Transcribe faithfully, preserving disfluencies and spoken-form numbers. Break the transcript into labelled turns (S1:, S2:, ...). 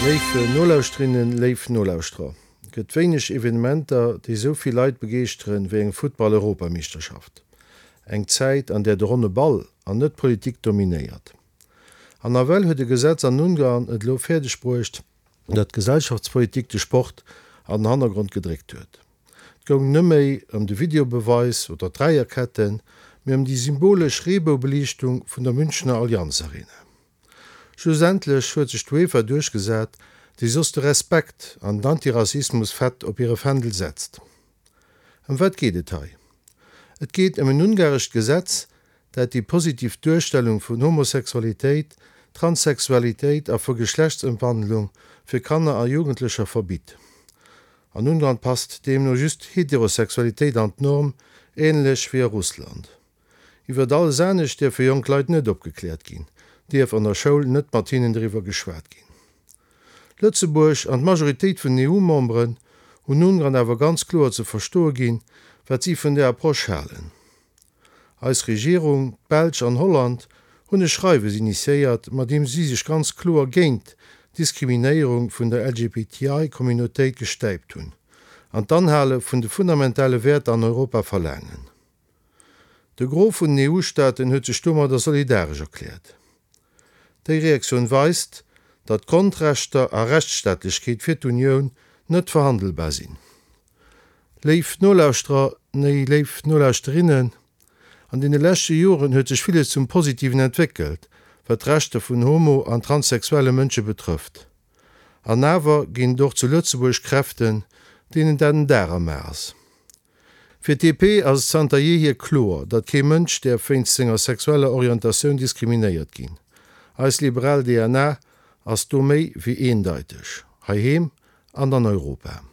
S1: Léif Nolauschterinnen, léif Nolauschterer, et gëtt wéineg Evenementer, déi esou vill Leit begeeschteren, wéi eng Futtball-Europameeschterschaft. Eng Zäit, an där de ronne Ball an net d'Politik dominéiert. An nawell huet e Gesetz an Ungarn et elo fäerdeg bruecht, datt d'Gesellschaftspolitik de Sport an den Hannergrond gedréckt huet. Et goung net méi ëm de Videobeweis oder d'Dräierketten, mee ëm déi symbolesch Reeboubeliichtung vun der Münchener Allianz Arena. Schlussendlech huet sech d'UEFA duerchgesat, déi soss de Respekt an den Antirassismus fett op hire Fändel setzt. Ëm wat geet et hei? Et geet ëm en ungarescht Gesetz, dat déi positiv Duerstellung vun Homosexualitéit, Transsexualitéit a vu Geschlechtsëmwandlung fir Kanner a Jugendlecher verbitt. An Ungarn passt deemno just Heterosexualitéit an d'Norm, änlech wéi a Russland. Iwwert alles anescht dierfe jonk Leit net opgekläert ginn, dierf an der Schoul net mat hinnen driwwer geschwat ginn. Lëtzebuerg an d'Majoritéit vun den EU-Memberen hunn Ungarn awer ganz kloer ze verstoe ginn, wat si vun där Approche halen. Eis Regierung, d'Belsch an Holland hunn e Schreiwes initiéiert, mat deem si sech ganz kloer géint d'Diskriminéierung vun der LGBTI-Communautéit gestäipt hunn an d'Anhale vun de fundamentale Wäerter an Europa verlaangen. De Gros vun den EU-Staaten huet sech domadder solidaresch erkläert. Déi Reaktioun weist, datt Grondrechter a Rechtsstaatlechkeet fir d'Unioun net verhandelbar sinn. Léif Nolauschterer, nee léif Nolauschterinnen, an deene leschte Joren huet sech villes zum Positiven entwéckelt, wat d'Rechter vun homo an transsexuelle Mënsche betrëfft. An awer ginn et och zu Lëtzebuerg Kräften, deenen dat en Dar am A ass. Fir d'DP ass et zanter jeehier kloer, datt kee Mënsch däerf wéinst senger sexueller Orientatioun diskriminéiert ginn. Eis liberal DNA ass do méi wéi eendeiteg, heiheem an an Europa.